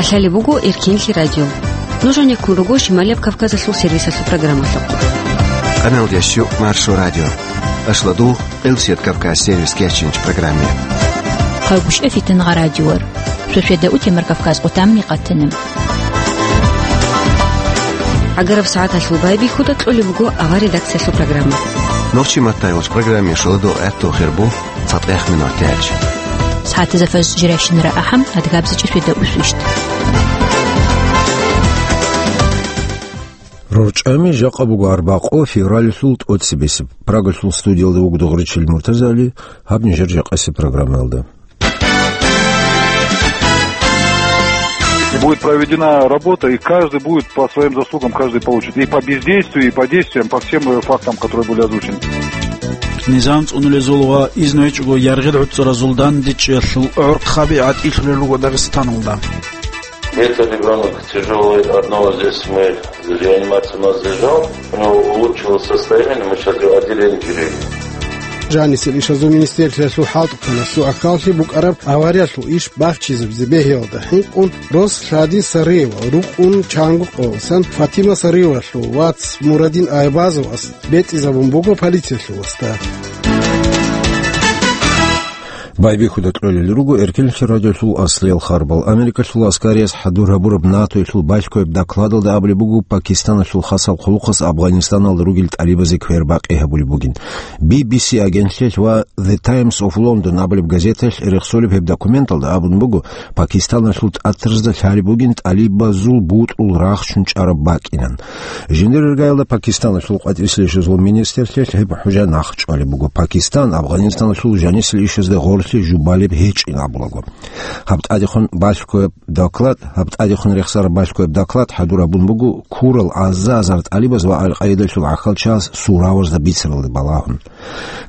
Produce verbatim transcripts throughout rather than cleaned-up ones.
Лъалеб буго Эркенлъи радио. Нуж гьанеккун руго Шималияб Кавказалъул сервисалъул программалъухъ. Канал дящу Маршо радио. Ашладу Элсет Кавказ сервис кечинч программе. Хъалгушев Фитнагъа радиор. Шошеда утемар Кавказ къутамни къатана. Агараб сагӀаталъул байбихьуда кьолеб буго авар редакциялъул программа. Нурчи Маттаевич программе шоладо гӀатту хирбу. ЦатӀех минутач. СагӀатазда фаз жирайщинара ахӀам, адгабзичӀи шведа усвищт. РорчӀами жакъа буго арбакъо февралалъул тӀоцебесеб. Прагалъул студиялда вуго Дугъричил Муртазали, гьаб нижер жакъасеб программаялда. Будет проведена работа, и каждый будет по своим заслугам, каждый получит. И по бездействию, и по действиям, по всем, э, фактам, которые были озвучены. Низам цӀунулезул ва изну гьечӀого яргъил гӀуцӀаразул дандечӀиялъул гӀорхъаби гӀатӀилъулел руго Дагъистаналда. Это ребёнок тяжёлый, одного здесь мы реанимацию у нас держал, у него улучшилось состояние, мы сейчас его отделение перевели. Жанисел ишазул министерствоялъул хӀалтӀухъанасул аккаллъи букӀараб авариялъул иш бахчизабизе бегьиялда хӀинкъун, рос Шади Сариева рукъун чанго къолсан Фатима Сариевалъул вац Мурадин Айбазовас бетӀизабун буго полициялъул васда. Байбихьуда кьолел руго Эркенлъи радиолъул аслиял харбал. Америкалъул аскариялъ хӀадур гьабураб НАТОялъул балъгояб докладалда абулеб буго, Пакистаналъул хасал хъулухъас Афганистаналда ругел тӀалибазе квербакъи гьабулеб бугин. Би Би Си агентлъиялъ ва The Times of London абулеб газеталъ рехсолеб гьеб документалда абун буго, Пакистаналъул тӀатразда лъалеб бугин тӀалибазул бутӀрул рахчун чӀараб бакӀинан. Жиндир иргаялда Пакистаналъул къватӀирсилищазул министрлъиялъ гьеб хӀужа нахъ чӀвалеб буго. Пакистан Афганистаналъул жанисилищазда гъорлъи жубалеб гьечӀин абулаго. Гьаб тӀадехун балъгояб доклад, гьаб тӀадехун рехсараб балъгояб доклад хӀадур гьабун буго ккурал аза-азар тӀалибаз ва Ал-Къаидалъул гӀахьалчагӀаз суравазда бицаралде балагьун.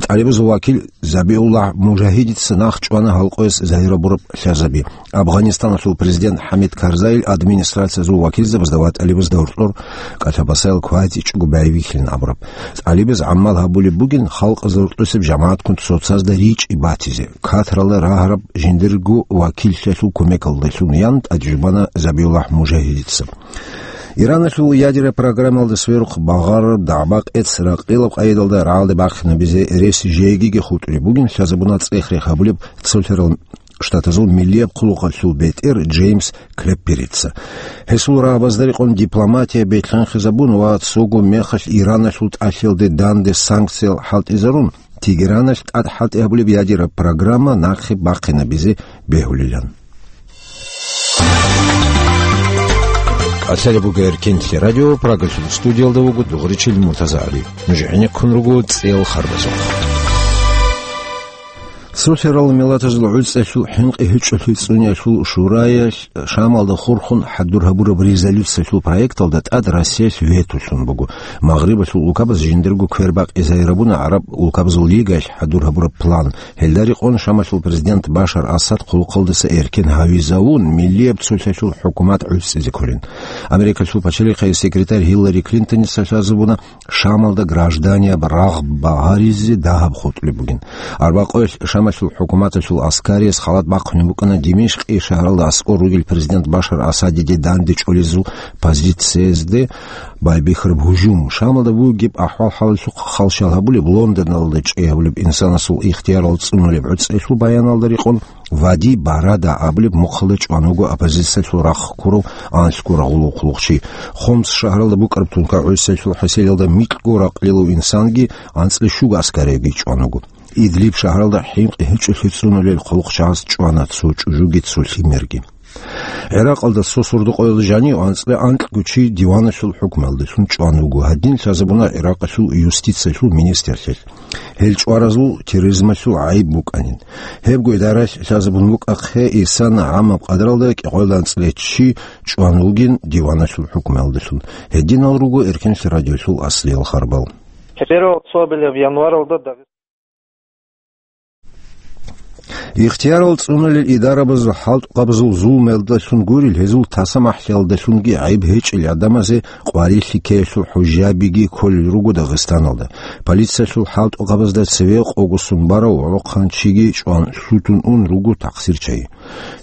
ТӀалибазул вакил Забиуллагь Мужагьидица нахъ чӀвана гьалкъояс загьир гьабураб лъазаби. Афганистаналъул президент ХӀамид Карзайил администрациязул вакилзабазда ва тӀалибазда гьоркьор кӀалъабасаял квайзичӀого байбихьилин абураб. ТӀалибаз гӀамал гьабулеб бугин халкъазда гьоркьосеб жамагӀатккун цоцазда ричӀи батизе. Катаралда рагьараб жиндирго вакиллъиялъул кумекалдалъун ян тӀаде жубана Забиуллагь Мужагьидица. Ираналъул ядераб программалда сверухъ багъараб дагӀба-къец ракъилаб къайдалда рагӀалде бахъинабизе рес жегиги хутӀулеб бугин, лъазабуна цӀех-рех гьабулеб Цолъарал Штатазул миллияб хъулухъалъул бетӀер Джеймс Клепперица. Гьесул рагӀабазда рекъон дипломатия бекьанхизабун ва цого мехалъ Ираналъул тӀалъиялде данде санкциял хӀалтӀизарун, Тегераналъ тӀад хӀалтӀи гьабулеб ядераб программа нахъе бахъинабизе бегьулилан. Лъалеб буго Эркенлъи радио, Прагалъул студиялда вуго Дугъричил Муртазагьари. Нуж гӀенеккун руго цӀел харбазухъ. Цолъарал Миллатазул ГӀуцӀиялъул хӀинкъи-гьечӀолъи цӀуниялъул шураялъ Шамалда хурхун хӀадур гьабураб резолюциялъул проекталда тӀад Россиялъ вето лъун буго. Магърибалъул улкабаз жиндирго квербакъи загьир гьабуна ГӀараб улкабазул лигаялъ хӀадур гьабураб план. Гьелда рекъон Шамалъул президент Башар Асад хъулухъалдаса эркен гьавизавун, миллияб цолъалъул хӀукумат гӀуцӀизе кколин. Америкалъул пачалихъе секретарь Гьиллари Клинтоница лъазабуна Шамалда гражданияб рагъ багьаризе дагьаб хутӀулеб бугин. Арбакъоялъ Шамалъул хӀукуматалъул аскариялъ халат бахъунеб букӀана Димишкъи шагьаралда аскӀор ругел президент Башар Асадиде данде чӀолезул позициязде байбихьараб гьужум. Шамалда бугеб ахӀвал-хӀалалъухъ халщал гьабулеб, Лондоналда чӀей гьабулеб инсанасул ихтиярал цӀунулеб гӀуцӀиялъул баяналда рекъон, Вади Барада абулеб мухъалда чӀван вуго оппозициялъул рахъ ккурав анлъго рагъулев хъулухъчи. Хомс шагьаралда букӀараб тункагӀусиялъул хӀасилалда микьго ракълилав инсанги анцӀила щуго аскариги чӀван вуго. Идлиб шагьаралда хӀинкъи-гьечӀолъи цӀунулел хъулухъчагӀаз чӀвана цо чӀужуги цо лъимерги. ГӀиракъалда цо сордо-къоялда жанив анцӀила анкьго чи диваналъул хӀукмалдалъун чӀван вуго. Гьадин лъазабуна ГӀиракъалъул юстициялъул министрлъиялъ. Гьел чӀваразул терроризмалъул гӀайиб букӀанин. Гьебго идаралъ лъазабун букӀахъе, исана гӀамаб къадралда кӀикъоялда анцӀила чи чӀван вугин диваналъул хӀукмалдалъун. Гьединал руго Эркенлъи радиолъул аслиял харбал. Первого особенно в январалда Дагъист- Ихтиярал цӀуналел идарабазул хӀалтӀухъабазул зулмуялдалъун гурел, гьезул тасамахӀлъиялдалъунги гӀайиб гьечӀел гӀадамазе къварилъи ккеялъул хӀужабиги кколел руго Дагъистаналда. Полициялъул хӀалтӀухъабазда цеве къогосун барав гӀолохъанчиги чӀван лъутун ун руго такъсирчагьи.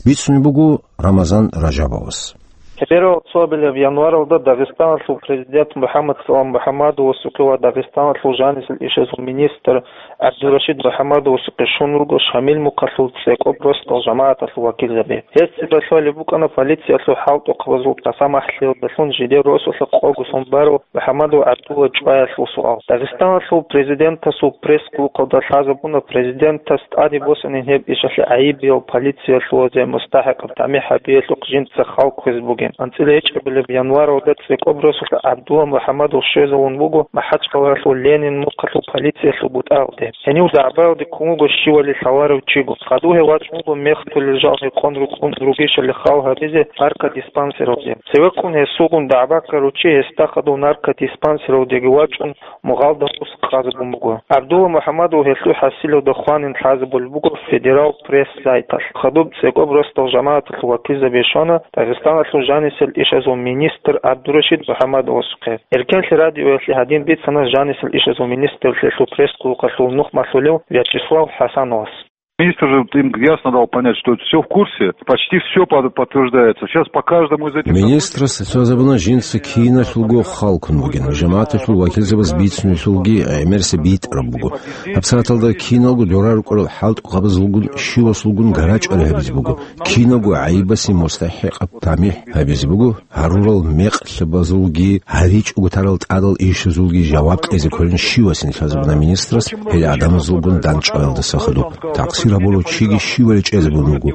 Бицунеб буго Рамазан Ражабовас. Гьеб гьеб цо абилеб январалда Дагъистаналъул президент МухӀаммад Салам МухӀаммадовасухъе ва Дагъистаналъул жанисел ишазул министр ГӀабдурашид МухӀаммадовасухъе щун руго Шамил мухъалъул цӀекӀоб росдал жамагӀаталъул вакилзаби. Гьез цебе лъолеб букӀана полициялъул хӀалтӀухъабазул тасамахӀлъиялдалъун жидер росулъа къогосун барав МухӀаммадов ГӀабдулла чӀваялъул суал. Дагъистаналъул президентасул пресс-клубалда лъазабуна президентас тӀаде босанин гьеб ишалъе гӀайибиял полициялъулазе мустахӀикъаб тамихӀ гьабиялъухъ жинца хал кквезе бугин. АнцӀила гьечӀебилеб январалда цӀекӀоб росулъа ГӀабдулла МухӀаммадов щвезавун вуго МахӀачкъалаялъул Ленин мухъалъул полициялъул бутӀаялде. Гьенив дагӀбаялде ккун вуго щивали лъаларев чиго. Хадув гьев вачӀун вуго мехтулел жал гьекъон рукӀун ругищали хал гьабизе наркодиспансералде. Цевеккун гьесулгун дагӀба ккарав чи гьесда хадув наркодиспансералдеги вачӀун, мугъалда ус къазабун буго. ГӀабдулла МухӀаммадов гьелъул хӀасилалда хванин лъазабулеб буго федерал пресс-сайталъ. Хадуб цӀекӀоб росдал жамагӀаталъул вакилзаби щвана Дагъистаналъул жанисел ишазул министр ГӀабдурашид МухӀаммадовасухъе. Эркенлъи радиоялъе гьадин бицана жанисел ишазул министрлъиялъул пресс-клубалъул нухмалъулев Вячеслав ХӀасановас. Министр же им ясно дал понять, что все в курсе, почти все под-, подтверждается. Сейчас по каждому из этих событий... Министрас лъазабуна жинца киналъулго хал ккун бугин, жамагӀаталъул вакилзабаз бицунелъулги гӀемерисеб битӀараб буго. ГьабсагӀаталда киналго дора рукӀарал хӀалтӀухъабазулгун щивасулгун гарачӀали гьабизе буго, киналго гӀайибасе мустахӀикъаб тамихӀ гьабизе буго, гьарурал мекълъабазулги, гьаричӀого тарал тӀадал ишазулги жаваб кьезе кколин щивасин лъазабуна министрас гьел гӀадамазулгун дандчӀваялдаса хадуб. Такъсир гьабурав чиги щивали чӀезабун вуго.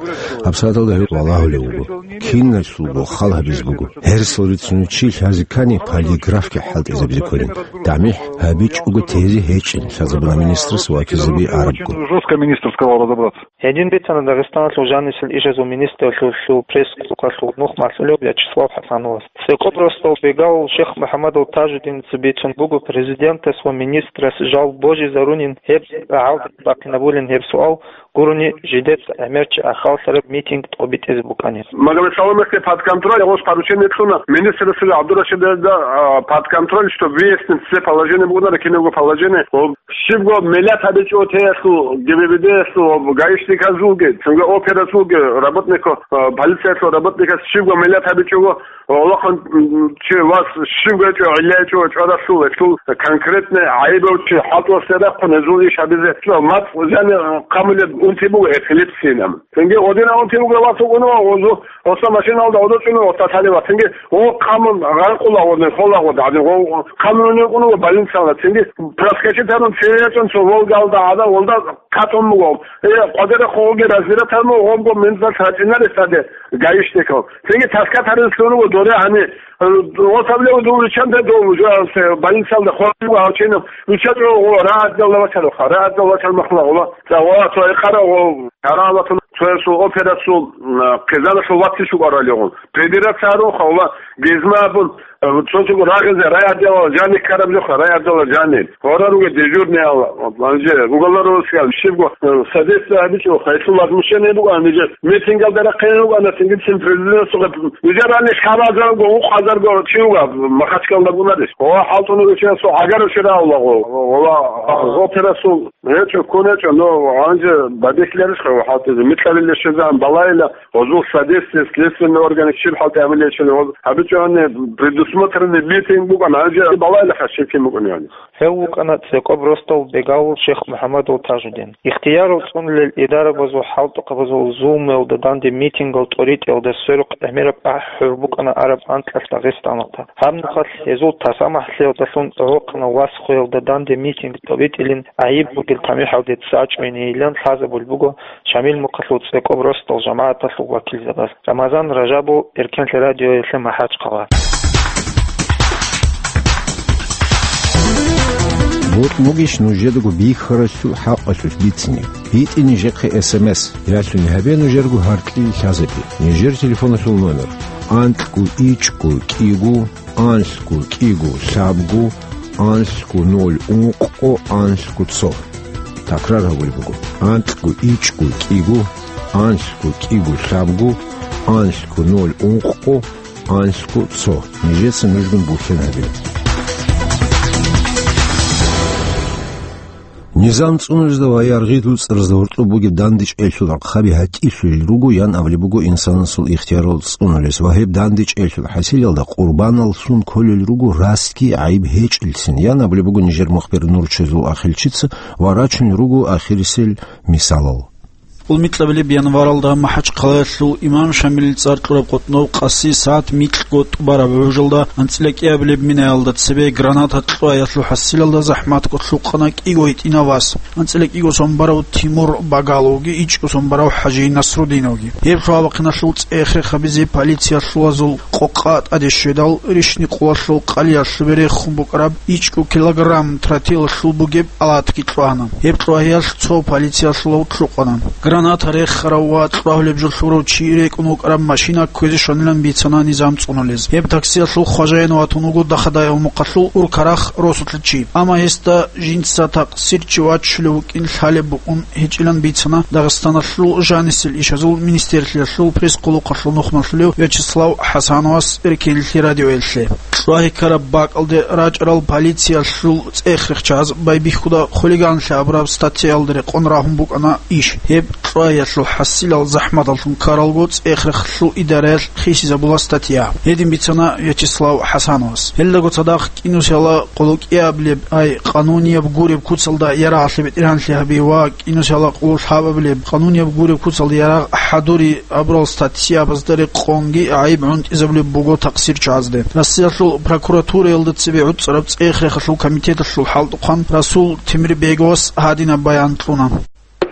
ГьабсагӀаталда гьев валагьулев вуго. Киналъулго хал гьабизе буго. Гьерсал рицунев чи лъазе ккани, полиграфги хӀалтӀизабизе кколин. ТамихӀ гьабичӀого тезе гьечӀин лъазабуна министрас вакилзаби арабго. Жестко министр сказал разобраться. Гьедин бицана Дагъистаналъул жанисел ишазул министрлъиялъул пресс-клубалъул нухмалъулев Вячеслав ХӀасановас. ЦӀекӀоб росдал бегав Ших МухӀаммадов Тажудиница бицун буго президентас ва министрас жал божизарунин гьеб гӀалдиб бахъинабулин гьеб суал гурони жидеца гӀемерчи ахаллъараб митинг тӀобитӀизе букӀани. Магомед Саламовасде под контроль, гъос поручение кьуна министрасда ГӀабдурашидазда, а, под контроль, чтобы выяснить все положения бугонаро, кинабго положение. Щибго миллат гьабичӀо теялъул, ГБВД-ялъул, гаишниказулги, цинги операзулги, работнико-, а, полициялъул работникас щибго миллат гьабичӀого, Аллагьан, м, чи вас щибго гьечӀо, гӀилла гьечӀо чӀваралъул, гьелъул конкретный гӀайибав чи хӀалтӀулъе рахъун гьезул иш гьабизе. МацӀ жани хъамулеб унти буго, эпилепсия нама. Цинги гъодина унти буго вас вукӀуна, гъозу, гъоса машиналда гъодо чӀуна, гъоса лъалева. Цинги гъо хъамун гъанкъула гъодин, хола гъод гӀадин, гъо хъамун вукӀуна больницала. Цинги проскочить гьарун цеве ячӀун цо Волгалда гӀада, Волда катун буго. Э, къвадара хъугъуги разбирать гьарун, гъобго менталъ рачӀинаре саде гаишникал. Цинги таскат гьарин лъуруго доре гьани, э, гъосаблев дов риччанте дов уже, э, больницалда хъван буго гьав чинав. Ручча чӀо гъо, рагӀадалда вачароха, рагӀадалда вачар махлагъула. Ца гъо, цо экъарав гъо, гьаралатун, цоясул операсул, м, хъизаналъул ваци шукӀаралигъун. Прибираться гьаруха, ула, гезма абун, э, цо-цо рагъизе райотделалда жаниб ккараб жоха, райотделалда жаниб. Гьора ругел дежурныял, гьанже уголовный розыскал щибго, э, содействие гьабичӀо, гьелъул возмущение буго, гьанже митингалда рахъине руго, ана цинги цин президентасухъе, уже рани хабазарго, укъазарго чи руго, Махачкалда бунарищ. О, хӀалтӀунего чиясул гӀагарав чирагьулаго, ола, операсул гьечӀо, ккун гьечӀо, но гьанже бадихьиларищха хӀалтӀизе, микьабилищезан балайила, гьозул содействие следственный орган щиб хӀалтӀи гьабилечӀони, гьоз гьабичӀони предусмотренный митинг букӀан, гьанже балайилаха щиб кин букӀуневани. Гьев вукӀана цӀекӀоб росдал бегавул Ших МухӀаммадул Тажудин. Ихтиярал цӀунулел идарабазул хӀалтӀухъабазул зулмуялда данде митингал тӀоритӀиялда сверухъ гӀемераб ахӀи-хӀур букӀана араб анкьалъ Дагъистаналда. Гьаб нухалъ гьезул тасамахӀлъиялдалъун гӀолохъанал Васхуялда данде митинг тӀобитӀилин гӀайиб бугел тамихӀалде цӀа чӀвайинейилан лъазабулеб буго Шамил мухъалъул цӀекӀоб росдал жамагӀаталъул вакилзабаз. Рамазан Ражабов, Эркенлъи радиоялъе МахӀачхъала. БутӀ бугищ нужедаго бихьаралъул хӀакъалъулъ бицине? БитӀе нижехъе эс эм эс, ялъуни гьабе нужерго гьаркьил лъазабе. Нижер телефоналъул номер: анкьго ичӀго кӀиго, анлъго кӀиго лъабго, анлъго ноль ункъго, анлъго цо. Такрар гьабулеб буго: анкьго ичӀго кӀиго, анлъго кӀиго лъабго, анлъго ноль ункъго, анлъго цо. Нижеца нужгун бухьен гьабе. Низам цӀунулезда ва яргъи луцӀаразда гьоркьоб бугеб дандечӀелъул гӀакъаби гьатӀилъулел руго, ян абулеб буго инсанасул ихтиярал цӀунулес, ва гьеб дандечӀелъул хӀасилалда къурбаналлъун кколел руго растги гӀайиб гьечӀелцин, ян абулеб буго нижер мухбир Нурчезул Ахилчица ва рачунел руго ахирисел мисалал. Улмикьабилеб январалда МахӀачхъалаялъул имам Шамилил цӀар кьураб къотӀнов къаси сагӀат микьго тӀубараб гӀужалда анцӀила кӀиабилеб минаялда цебе граната кьуаялъул хӀасилалда захӀматго лъукъана кӀиго гьитӀинав вас, анцӀила кӀиго сон барав Тимур Багаловги ичӀго сон барав ХӀажи Насрудиновги. Гьеб лъугьа-бахъиналъул цӀех-рех гьабизе полициялъулазул къокъа тӀаде щведал, рищни къулалъул къалиялъубе рехун букӀараб ичӀго килограмм тротилалъул бугеб алатги кьвана. Гьеб кьвагьиялъ цо полициялъулав лъукъана. Граната рехарав ва кьвагьулеб жо лъурав чи рекӀун вукӀараб машина кквезе щванилан бицана низам цӀунулез. Гьеб таксиялъул хважаин ватун вуго Дахадаев мухъалъул Уркарахъ росулъа чи. Амма гьесда жинца такъсирчи вачулев вукӀин лъалеб букӀун гьечӀилан бицана Дагъистаналъул жанисел ишазул министерствоялъул пресс-хъулухъалъул нухмалъулев Вячеслав ХӀасановас Эркенлъи радиоялъе. Кьвагьи ккараб бакӀалде рачӀарал полициялъул цӀех-рехчаз байбихьуда хулиганлъи абураб статьяялда рекъон рагьун букӀана иш. Гьеб кьвагьиялъул хӀасилал захӀматаллъун ккаралго цӀех-рехалъул идараялъ хисизабула статья. Гьедин бицана Вячеслав ХӀасановас. Гьелдаго цадахъ кӀинусиялда къоло кӀиабилеб, ай, къанунияб гуреб куцалда ярагъалъе бетӀергьанлъи гьаби ва кӀинусиялда къоло лъабабилеб къанунияб гуреб куцалда ярагъ хӀадури абурал статьябазда рекъонги гӀайиб гӀунтӀизабулеб буго такъсирчагӀазде. Россиялъул прокуратураялда цебе гӀуцӀараб цӀех-рехалъул комитеталъул хӀалтӀухъан Расул Темирбеговас гьадинаб баян кьуна.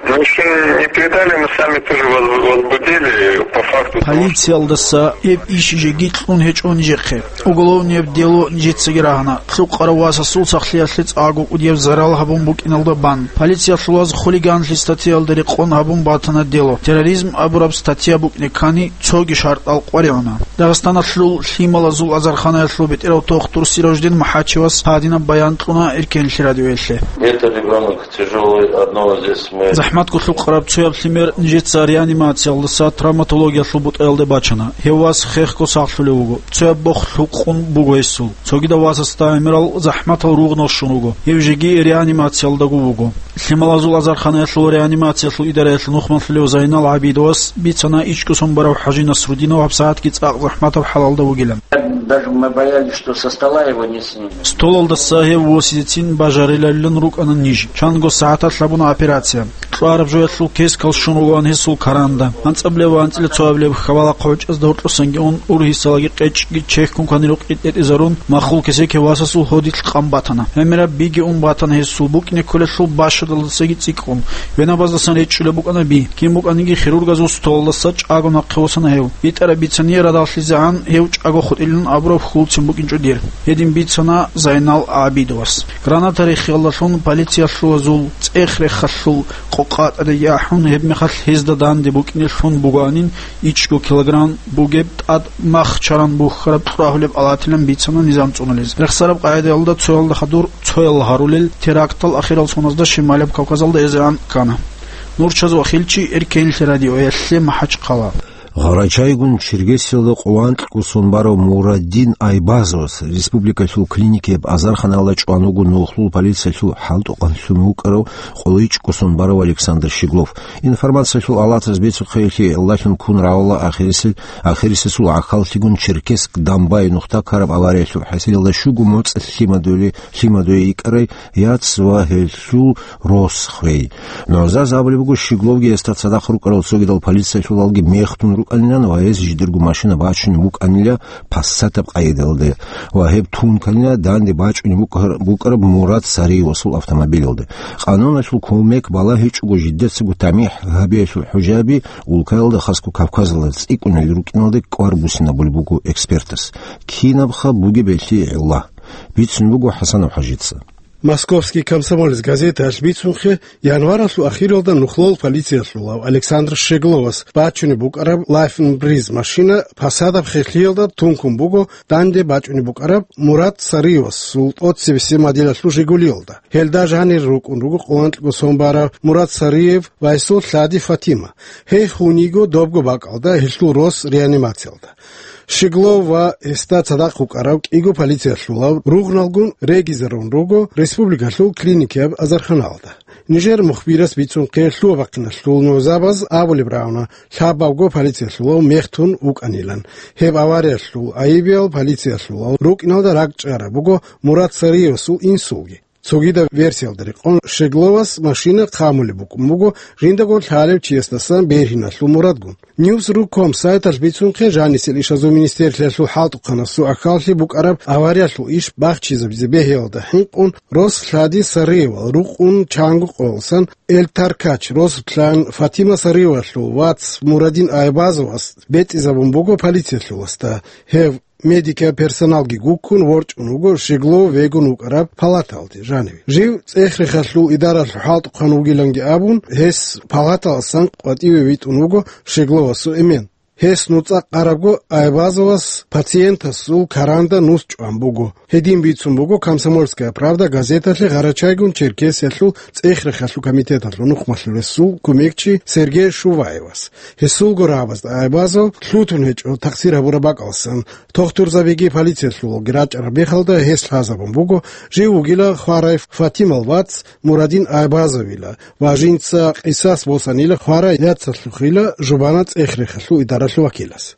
Ну, ещё не передали, мы сами тоже воз-, возбудили по факту того, что... Полициялдаса гьеб иш жеги кьун гьечӀо нижехъе. Уголовнияб дело нижецаги рагьана. Лъукъарав васасул сахлъиялъе цӀакъго кӀудияб зарал гьабун букӀиналда бан, полициялъулаз хулиганлъи статьяялда рекъон гьабун батана дело. Терроризм абураб статья букӀине ккани, цоги шартӀал къваригӀуна. Дагъистаналъул лъималазул азарханаялъул бетӀерав тухтур Сираждин МахӀачевас гьадинаб баян кьуна Эркенлъи радиоялъе. Это ребёнок тяжёлый, одного здесь мы... ЗахӀматго лъукъараб цояб лъимер нижеца реанимациялдаса травматологиялъул бутӀаялде бачана. Гьев вас хехго сахлъулев вуго. Цояб бох лъукъун буго гьесул. Цогидав васасда гӀемерал захӀматал ругънал щун вуго. Гьев жеги реанимациялдаго вуго. Лъималазул азарханаялъул реанимациялъул идараялъул нухмалъулев Зайнал ГӀабидовас бицана ичӀго сон барав ХӀажи Насрудинов гьабсагӀатги цӀакъ захӀматаб хӀалалда вугилан. Даже мы боялись, что со стола его не снимем. Столалдаса гьев восизецин бажарилалилан рукӀана ниж. Чанго сагӀаталъ гьабуна операция. Кьвараб жоялъул кескал щун ругоан гьесул каранда. АнцӀабилеб ва анцӀила цоабилеб хьабалахъ гӀочӀазда гьоркьосанги ун, ургьисалаги къечӀги чехькун кванирухъ тӀетӀизарун, махул кесеке васасул гьодилъ къан батана. ГӀемераб биги ун батана гьесул букӀине кколелъул бащадалдасаги цӀикӀкӀун. Венабаздасан речӀчӀулеб букӀана би. Кин букӀаниги хирургазул столалдаса чӀаго нахъе восана гьев. БитӀараб бицание радалъизегӀан гьев чӀаго хутӀилин абураб хьулцин букӀинчӀо дир. Гьедин бицана Зайнал ГӀабидовас. Граната рехиялдалъун полициялъулазул цӀех-рехалъул къокъа тӀадеги ахӀун, гьебмехалъ гьезда данде букӀине лъун бугоанин ичӀго килограмм бугеб тӀад мах чаран бухьараб кьвагьулеб алатилан бицана низам цӀунулез. Рехсараб къагӀидаялда цоялда хадур цоял гьарулел терактал ахирал соназда Шималаб Кавказалда эзегӀан ккана. Нурчаз Вахилчи, Эркенлъи радиоялъе, МахӀачхъала. Гъарачайгун Чергесиялда къоло анкьго сон барав Мураддин Айбазовас республикалъул клиникияб азарханалда чӀван вуго нухлул полициялъул хӀалтӀухъан лъун вукӀарав къоло ичӀго сон барав Александр Щеглов. Информациялъул алатаз бицухъе, гьелъие гӀиллалъун ккун равала ахирисел-, ахирисесул гӀахьаллъигун Черкесск-Домбай нухда ккараб авариялъул хӀасилалда щуго моцӀ лъимадули-, лъимадуе йикӀарай яц ва гьелъул рос хвей. НугӀзаца абулеб буго, Щегловги гьесда цадахъ рукӀарал цогидал полициялъулалги мехтун рукӀанилан ва гьез жидерго машина бачунеб букӀанила пассатаб къайдалде ва гьеб тунканила данде бачӀунеб букӀар-, букӀараб Мурад Сариевасул автомобилалде. Къануналъул кумек балагьичӀого жидецаго тамихӀ гьабиялъул хӀужаби улкаялда, хасго Кавказалда цӀикӀкӀунел рукӀиналде кӀвар буссинабулеб буго экспертас. Кинабха бугеб гьелъие гӀилла? Бицун буго ХӀасанов ХӀажица. «Московский комсомолец» газеталъ бицунхъе, январалъул ахиралда нухлол полициялъулав Александр Щегловас бачунеб букӀараб «Лайфенбриз» машина Посадаб хехлъиялда тункун буго данде бачӀунеб букӀараб Мурат Сариевасул тӀоцебесеб моделалъул «Жигулиялда». Гьелда жанир рукӀун руго къоланкьго сон барав Мурат Сариев ва гьесул лъади Фатима. Гьей хун йиго добго бакӀалда, гьелъул рос реанимациялда. Щеглов ва гьесда цадахъ вукӀарав кӀиго полициялъулав ругъналгун регизарун руго республикалъул клиникияб азарханалда. Нижер мухбирас бицунхъе, лъугьа-бахъиналъул нугӀзабаз абулеб рагӀуна, лъабабго полициялъулав мехтун вукӀанилан. Гьеб авариялъул айибиял полициялъулал рукӀиналда ракӀчӀараб буго Мурат Сариевасул инсулги. Цогидаб версиялда рекъон, Щегловас машина хъамулеб букӀун буго жиндаго лъалев чиясдасан бергьиналъул мурадгун. Ньюс ру ком сайталъ бицунхъе, жанисел ишазул министрлъиялъул хӀалтӀухъанасул ахӀаллъи букӀараб авариялъул иш бахчизабизе бегьиялда хӀинкъун, рос лъади Сариевал рукъун чанго къоялдасан Эльтаркач рос лъан Фатима Сариевалъул вац Мурадин Айбазовас бетӀизабун буго полициялъуласда. Гьев медикиял персоналги гуккун ворчӀун вуго Щеглов вегун вукӀараб палаталде жаниве. Жив ЦӀехрехалъул идаралъул хӀалтӀухъан вугиланги абун, гьес палаталасан къватӀиве витӀун вуго Щегловасул эмен. Гьес нуцӀа къарабго Айбазовас пациентасул каранда нус чӀван буго. Гьедин бицун буго «Комсомольская правда» газеталъе Гъарачайгун-Черкесиялъул ЦӀехрехалъул комитеталъул нухмалъулесул кумекчи Сергей Шуваевас. Гьесулго рагӀабазда Айбазов лъутун гьечӀо такъсир гьабураб бакӀалдасан. Тохтурзабиги полициялъулги рачӀараб мехалда гьес лъазабун буго, жив вугила хварай Фатимал вац Мурадин Айбазовила ва жинца къисас босанила хварай яцалъухъила жубана ЦӀехрехалъул идаралъул вакилас.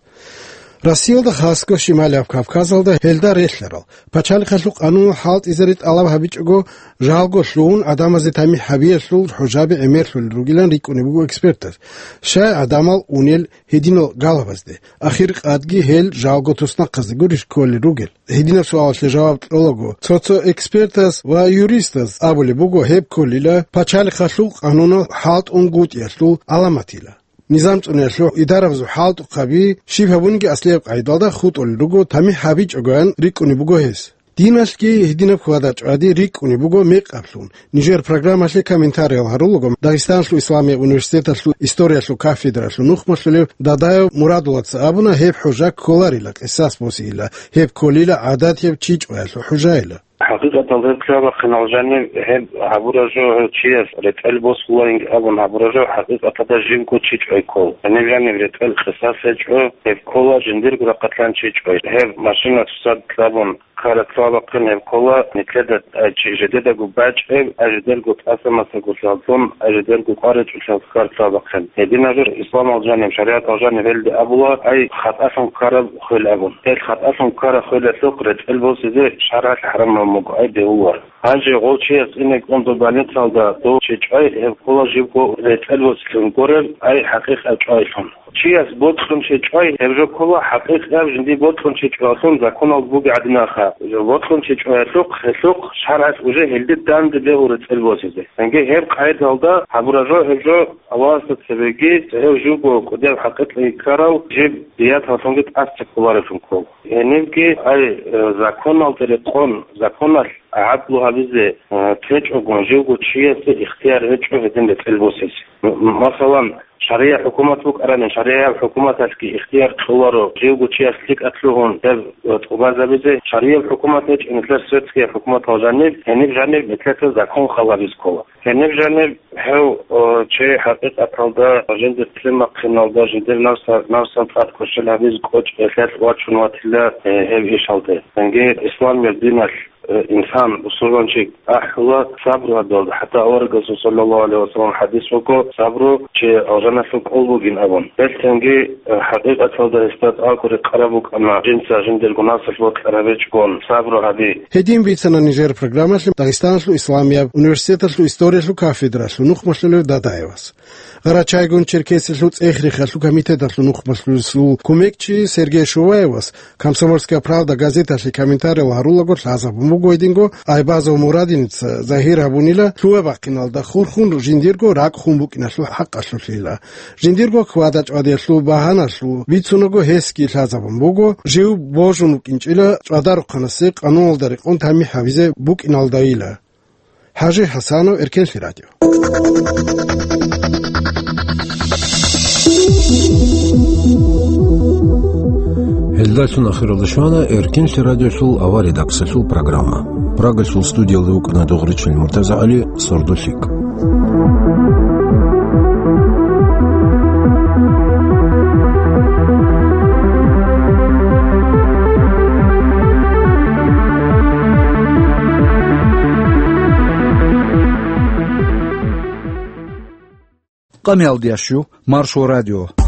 Россиялда, хасго Шималияб Кавказалда гьелда релълъарал, пачалихъалъул къануналъ хӀалтӀизари тӀалаб гьабичӀого, жалго лъугьун, гӀадамазе тамихӀ гьабиялъул хӀужаби гӀемерлъулел ругилан рикӀкӀунеб буго экспертаз. Щай гӀадамал унел гьединал галабазде, ахир къадги гьел жалго туснахъазде гурищ кколел ругел? Гьединаб суалалъе жаваб кьолаго, цо-цо экспертаз ва юристаз абулеб буго, гьеб кколила пачалихъалъул къануналъ хӀалтӀунгутӀиялъул гӀаламатила. Низам цӀуниялъул идарабазул хӀалтӀухъаби щиб гьабунги аслияб къайдалда хутӀулел руго, тамихӀ гьабичӀогоян рикӀкӀунеб буго гьес. Диналъги гьединаб хьвада-чӀвади рикӀкӀунеб буго мекъаблъун. Нижер программалъе комментариял гьарулаго, Дагъистаналъул исламияб университеталъул историялъул кафедралъул нухмалъулев Дадаев Мурадулаца абуна, гьеб хӀужа кколарила къисас босейила, гьеб кколила гӀадатияб чи чӀваялъул хӀужайила. ХӀакъикъаталда гьеб лъабахъинал жанив гьеб гьабураб жо, гьев чияс ретӀел босулаинги абун гьабураб жо, хӀакъикъаталда живго чи чӀвай ккол. Гьениб жанив ретӀел къисас гьечӀо, гьеб ккола жиндирго рахъалъан чи чӀвай. Гьеб машина цоцазда кьабун ккараб лъабахъин гьеб ккола, нилъеда, э, чи жидедаго бачӀеб, а жидерго тӀасамасаго лъаллъун, а жидерго къваричӀолъал ккараб лъабахъин. Гьединаб жо исламалда жанив, шаригӀаталда жанив гьелде абула, ай хатӀалъун ккараб хвел абун. Гьел хатӀалъун ккараб хвелалъухъ ретӀел босизе шаргӀалъ хӀарамаб буго, ай бегьуларо. Гьанже гъов чияс ине кӀун доб больницалда дов чи чӀвай, гьеб ккола живго ретӀел босилъун гуреб, ай хӀакъикъат чӀвайлъун. Чияс бокьун чи чӀвай, гьеб жо ккола хӀакъикъат жиндир бокьун чи чӀваялъун законалда бугеб гӀадинаха. Бокьун чи чӀваялъухъ, гьелъухъ шаргӀалъ уже гьелде данде бегьул ретӀел босизе. Цинги гьеб къайдалда гьабураб жо, гьеб жо Аллагьасда цебеги, гьев живго кӀудияб хӀакъикъатги ккарав, жиб дияталлъунги тӀаса кколареблъун ккол. Гьенибги, ай, э, законалда рекъон, законалъ гӀадлу гьабизе, э, течӀого, живго чиясе ихтияр гьечӀо гьедин ретӀел босизе. М-, м-, масалан, шаригӀияб хӀукумат букӀарани, шаригӀияб хӀукуматалъги ихтияр кьоларо живго чияс лъикӀалъ лъугьун гьеб, э, тӀубазабизе. ШаригӀияб хӀукумат гьечӀеб, нилъер светскияб хӀукуматал жаниб, гьениб жаниб нилъеца закон халабиз ккола. Гьениб жаниб гьев, о, чи хӀакъикъаталда жиндир лъимахъиналда, жиндир навса-, навсан цӀад кверщел гьабизе кӀочӀ гьелъалъ вачун ватила, э, гьев ишалде. Цинги исламияб диналъ, э, инсан, бусурманчи ахӀула сабру гьабиялда. ХӀатта аварагасул саллаллагьу гӀалайгьи ва саллам хӀадис буго, сабру чи алжаналъул кӀол бугин абун. Гьелъ цинги, э, хӀакъикъаталда гьесда тӀагӀо рекъараб букӀана, жинца жиндирго навсалъ бокьараб гьечӀогон сабру гьаби. Гьедин бицана нижер программалъе Дагъистаналъул исламияб университеталъул историялъул кафедралъул нухмалъулев Дадаевас. Гъарачайгун-Черкесиялъул ЦӀехрехалъул комитеталъул нухмалъулесул кумекчи Сергей Шуваевас «Комсомольская правда» газеталъе комментариял гьарулаго лъазабун буго гьединго, Айбазов Мурадиница загьир гьабунила лъугьа-бахъиналда хурхун жиндирго ракӀ хун букӀиналъул хӀакъалъулъила. Жиндирго хьвада-чӀвадиялъул багьаналъул бицунаго гьесги лъазабун буго, жив божун вукӀинчӀила чӀвадарухъанасе къануналда рекъон тамихӀ гьабизе букӀиналдайила. ХӀажи ХӀасанов, Эркенлъи радио. Гьелдалъун ахиралда щвана Эркенлъи радиолъул авария даксалъул программа. Прагалъул студиялда вукӀана Дугъричил МуртазагӀали, сордо лъикӀ. Къамиялдиящу Маршо радио.